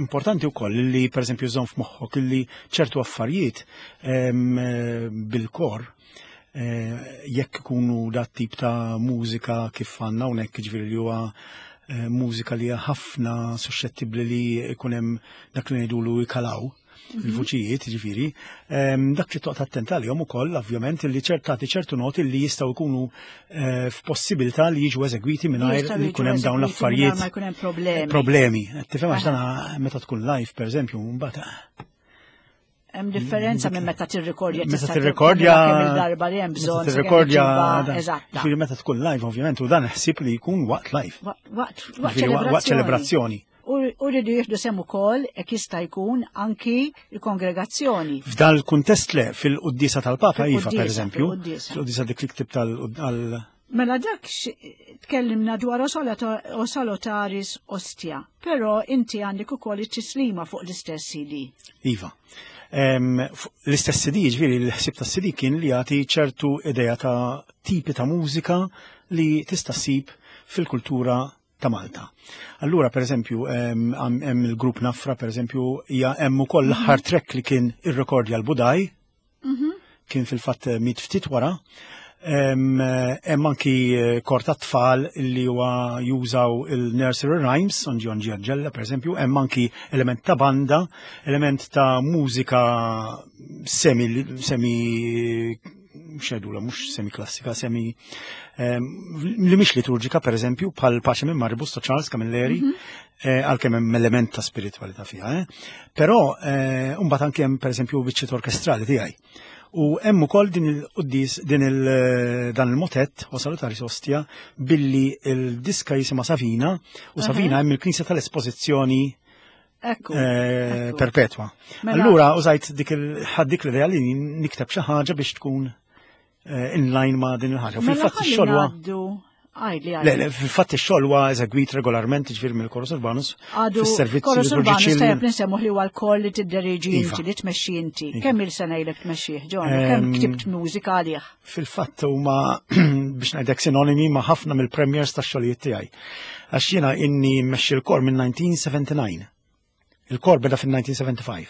importanti wkoll li pereżempju żomm f'moħħok li ċertu affarijiet bil-kor jekk ikunu dat tip ta' mużika kif għandna hawnhekk, ġifieri li huwa mużika li hija ħafna suscettibbli li jkun hemm dak li ngħidulu jkalaw il-vuċijiet, ġifieri, dak li toqgħod attent għalihom ukoll ovvjament li ċertati ċertu noti li jistgħu jkunu f'possibilità li jiġu eżegwiti mingħajr li jkun hemm dawn l-affarijiet. Ma jkun hemm problemi. Problemi. Tifhem għax dan meta tkun live pereżempju mbagħad hemm differenza minn meta tirrikordja. Meta tirrikordja kemm il-darba li hemm bżonn. Tirrikordja eżatt. Ġifieri meta tkun live ovvjament u dan ħsieb li jkun waqt live. Waqt ċelebrazzjoni. U rridu jieħdu sehem ukoll hekk jista' jkun anki l-kongregazzjoni. F'dan il-kuntest le fil-quddisa tal-Papa iva pereżempju, fil-quddisa dik li ktib tal Mela dak tkellimna dwar O Salutaris Ostia, però inti għandek ukoll it-tislima fuq l-istess C D. Iva. L-istess C D, ġifieri l-ħsieb tas-C D kien li jagħti ċertu idea ta' tipi ta' mużika li tista' ssib fil-kultura ta' Malta. Allura, per eżempju, hemm il-grupp Nafra, per eżempju, hija hemm ukoll l-aħħar track li kien irrekordja l-Budaj, kien fil-fatt mit ftit wara. Hemm anki kor ta' tfal li huwa jużaw il-nursery rhymes, Onġi Onġi Anġella, per eżempju, hemm anki element ta' banda, element ta' mużika semi semi xedula, mhux semi klassika, semi li mhix liturġika, per eżempju, bħal Pace minn Maribus ta' Charles Camilleri, għalkemm hemm element ta' spiritualità fiha, Però mbagħad anke hemm pereżempju biċċiet orkestrali tiegħi. U hemm ukoll din il-quddis din il dan il-motett O Salutaris Ostia billi il-diska jisimha Savina u Savina hemm il-Knisja tal-Espożizzjoni perpetwa. Allura użajt dik il-ħad dik l-idea li nikteb xi ħaġa biex tkun in line ma' din il-ħaġa. Fil-fatt ix-xogħol Le, le, fil-fatt ix-xogħol huwa eżegwit regolarment ġifieri mill-Chorus Urbanus fis-servizzi Chorus Urbanus tajjeb ninsemmu li huwa l-kor li tidderiġi inti, li tmexxi inti. Kemm il sena ilek tmexxih, John? Kemm ktibt mużika għalih? Fil-fatt huma biex ngħidlek sinonimi ma' ħafna mill-premiers tax-xogħlijiet tiegħi. Għax jiena inni mmexxi l-kor minn nineteen seventy-nine. Il-kor beda fin-nineteen seventy-five.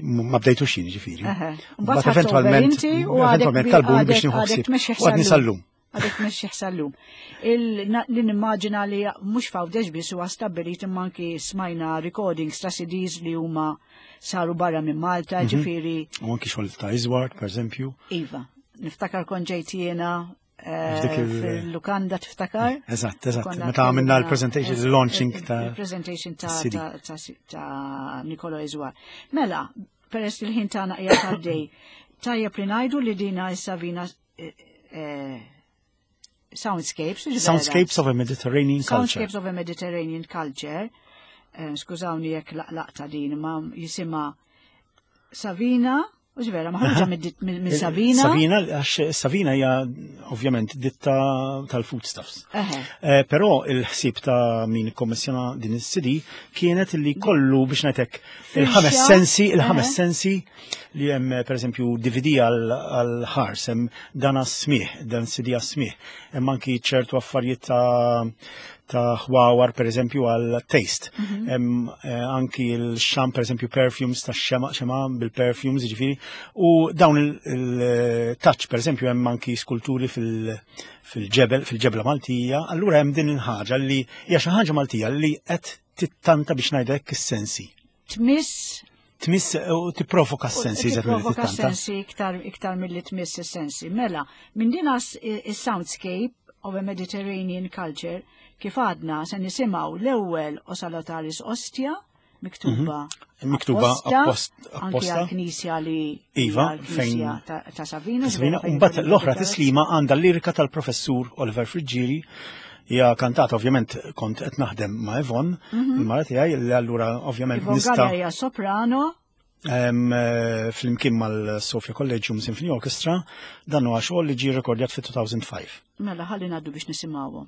Ma bdejtux jien ġifieri. Mbagħad eventwalment eventwalment talbuni biex nieħu ħsieb. U għadni sal-lum. Għadek mexxi sal-lum. Li nimmaġina li mhux f'Għawdex biss huwa stabbilit imma anki smajna recordings ta' C Ds li huma saru barra minn Malta, ġifieri. U anki xogħol ta' Iżward, pereżempju. Iva, niftakar kont ġejt jiena fil-lukanda tiftakar? Eżatt, eżatt. Meta għamilna l-presentation, il-launching ta' il-presentation ta' Nicolo Iżward. Mela, peress li l-ħin tagħna qiegħed għaddej, tajjeb li ngħidu li dina issa vina Soundscapes. Soundscapes of a Mediterranean Culture. Soundscapes of a Mediterranean Culture. Skużawni jekk laqlaqta din, ma jisima Savina U vera, maħruġa minn Savina. Savina, għax Savina hija ovvjament ditta tal-foodstuffs. Eh, però il-ħsieb ta' min ikkommissjona din is-C D kienet li kollu biex ngħidlek il-ħames sensi, il-ħames sensi li hemm, pereżempju D V D għal ħars, hemm dan għas-smigħ, dan C D għas-smigħ, hemm anki ċertu affarijiet ta' ta' ħwawar, per eżempju, għal taste. Mm -hmm. Anki il-xam, per eżempju, perfumes ta' xema, xema bil-perfumes, ġifiri, u dawn il-touch, per eżempju, hemm anki skulturi fil-ġebel, fil-ġebla Maltija, allura hemm din il-ħaġa li hija xi ħaġa Maltija li qed tittanta biex ngħidlek is-sensi. Tmiss Tmiss u tipprovoka s-sensi. Tipprovoka s-sensi iktar iktar milli tmiss is-sensi. Mela, minn din is-soundscape of a Mediterranean Culture, kif għadna, se nisimgħu l-ewwel O Salutaris Ostia, miktuba mhm. miktuba apposta anki għal-knisja li Iva, fejn ta' Savina. Savina, mbagħad l-oħra tislima għandha l-lirika tal-professur Oliver Friggieri, hija kantata, ovvjament kont qed naħdem ma' Yvonne, mhm. il-mara tiegħi, li allura ovvjament nista' hija soprano. Eh, flimkien mal-Sofia Collegium Symphony Orchestra, dan huwa xogħol li ġie rekordjat fit-elfejn u ħamsa. Mela ħalli ngħaddu biex nisimgħuhom.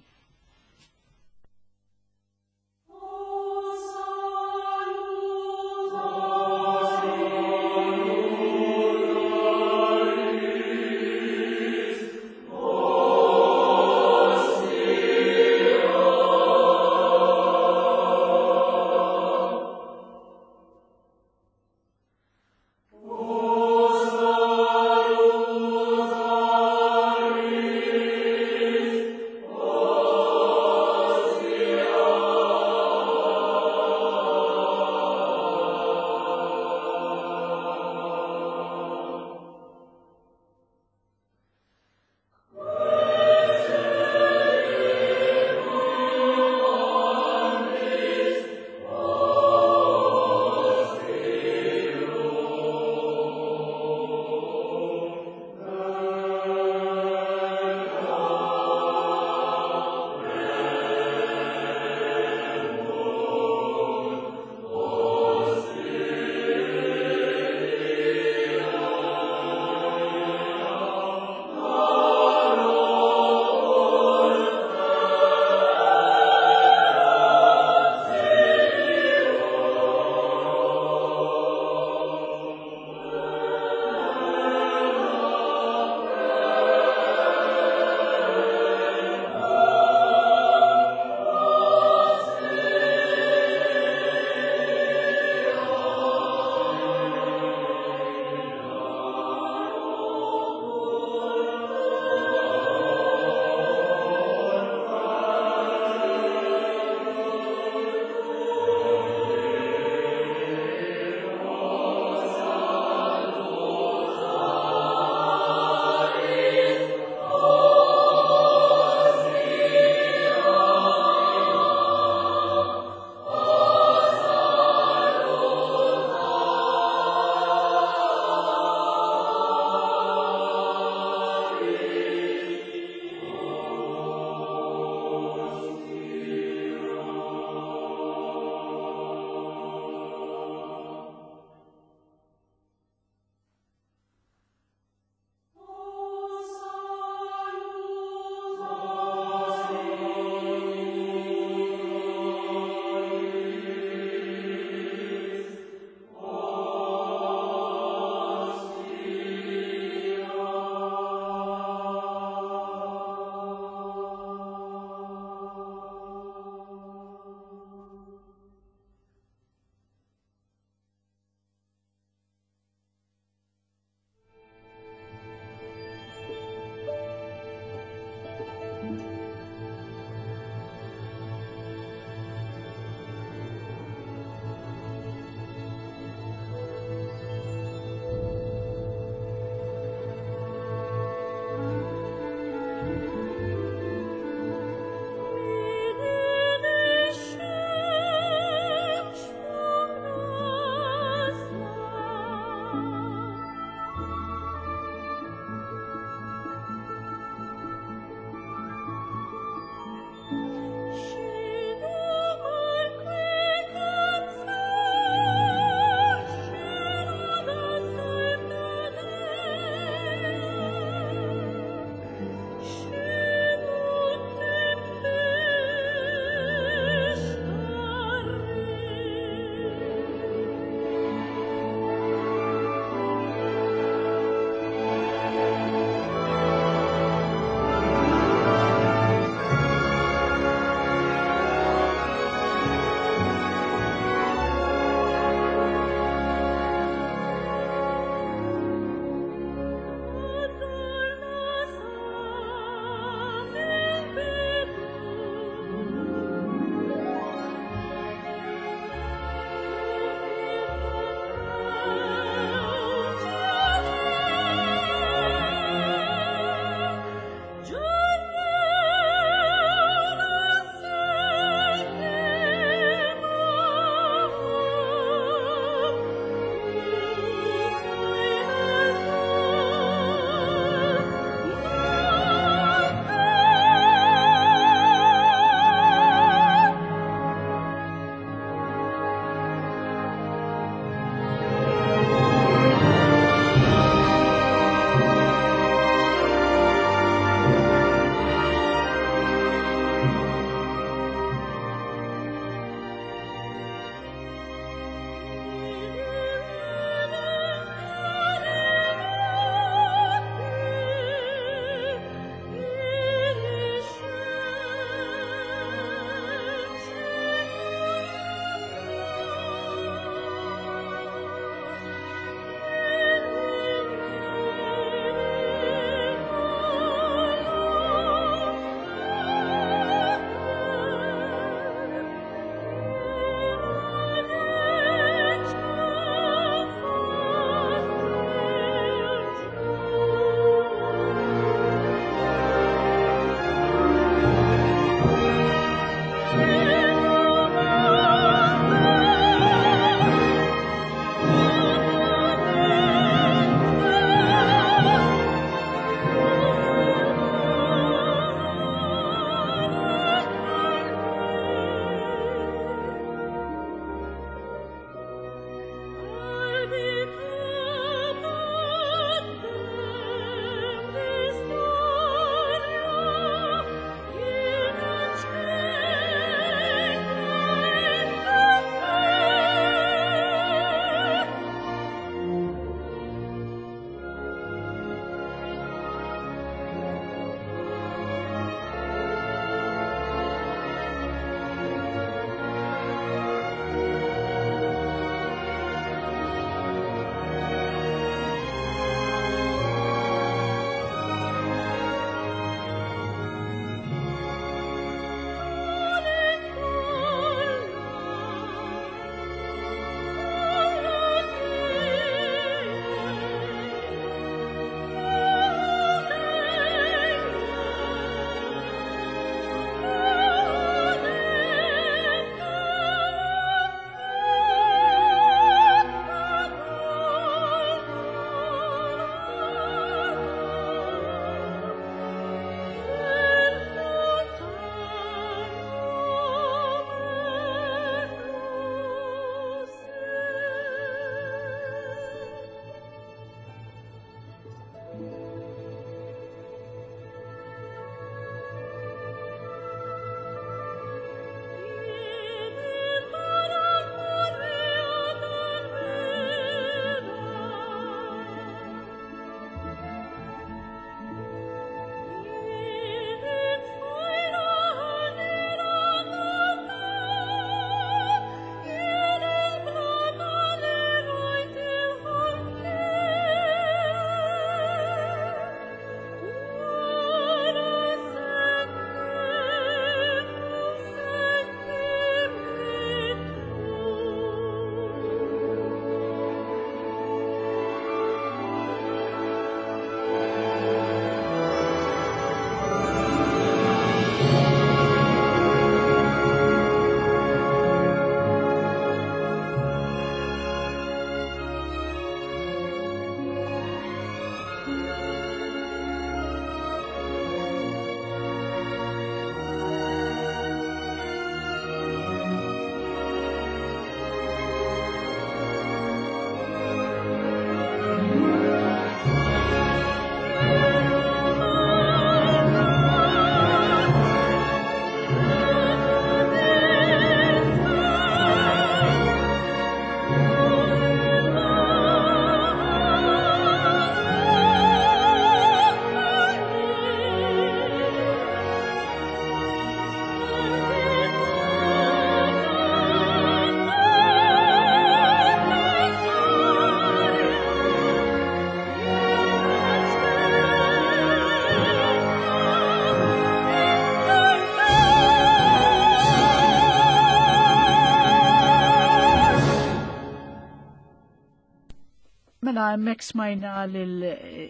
Mela hemmhekk smajna lil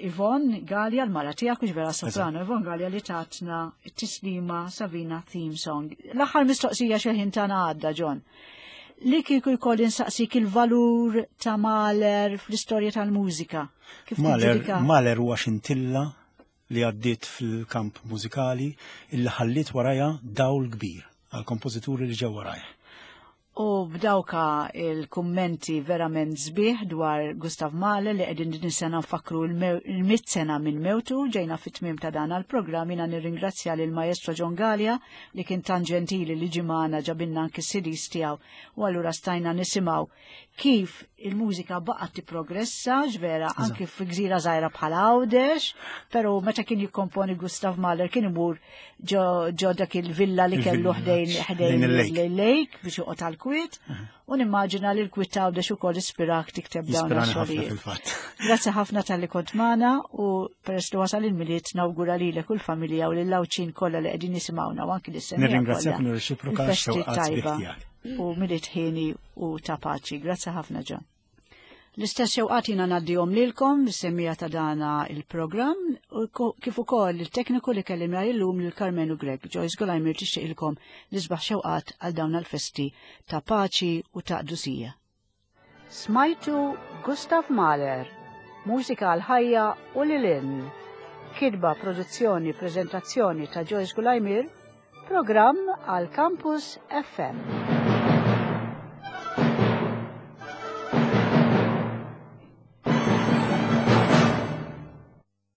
Yvonne Gallia, l-mara tiegħek, u vera soprano, Yvonne Gallia li tatna t-tislima Savina Theme Song. L-aħħar mistoqsija xi ħin tagħna għadda, John. Li kieku jkolli nsaqsik il-valur ta' Mahler fl-istorja tal-mużika. Kif Mahler, tiġġudika? Mahler huwa xintilla li għaddiet fil-kamp mużikali illi ħalliet warajha dawl kbir għal kompożituri li ġew warajha. U b'dawka il-kummenti verament sbieħ dwar Gustav Mahler li qegħdin din sena nfakru il-mitt sena minn mewtu, ġejna fit-tmiem ta' dan għal-programm. Jiena nirringrazzja lil Maestro John Gallia li kien tan ġentili li ġie magħna, ġabilna anki C Ds tiegħu u allura stajna nisimgħu kif il-mużika baqgħet tipprogressa ġvera anki fi gżira żgħira bħal Għawdex, però meta kien jikkomponi Gustav Mahler kien imur ġo ġo dak il-villa li kellu ħdejn ħdejn il-lake. Il-lake biex joqgħod għal-kwiet u nimmaġina li l-kwiet ta' Għawdex ukoll ispirak tikteb dawn Jispirani ħafna ix-xogħlijiet. fil-fatt. Grazzi ħafna talli kont magħna u peress li wasal il-Milied nawgura lilek u l-familja u lill-Għawdxin kollha li qegħdin jisimgħuna u anki lis-semmiegħa Nirringrazzjak kollha. nirreċiproka Il-festi x-xewqat sbieħ tajba tiegħek. u Milied ħieni u ta' paċi. Grazzi ħafna, John. L-istess xewqat jiena ngħaddihom lilkom, is-semmiegħa ta' dana il-programm, u ko- kif ukoll il-tekniku li kellimna illum lil Carmenu Grech. Joyce Golajmir tixtieqilkom l-isbaħ xewqat għal dawn il-festi ta' paċi u ta' qdusija. Smajtu Gustav Mahler, mużika għal ħajja u lil hinn. Kitba, produzzjoni, prezentazzjoni ta' Joyce Gulajmir, programm għal Campus F M.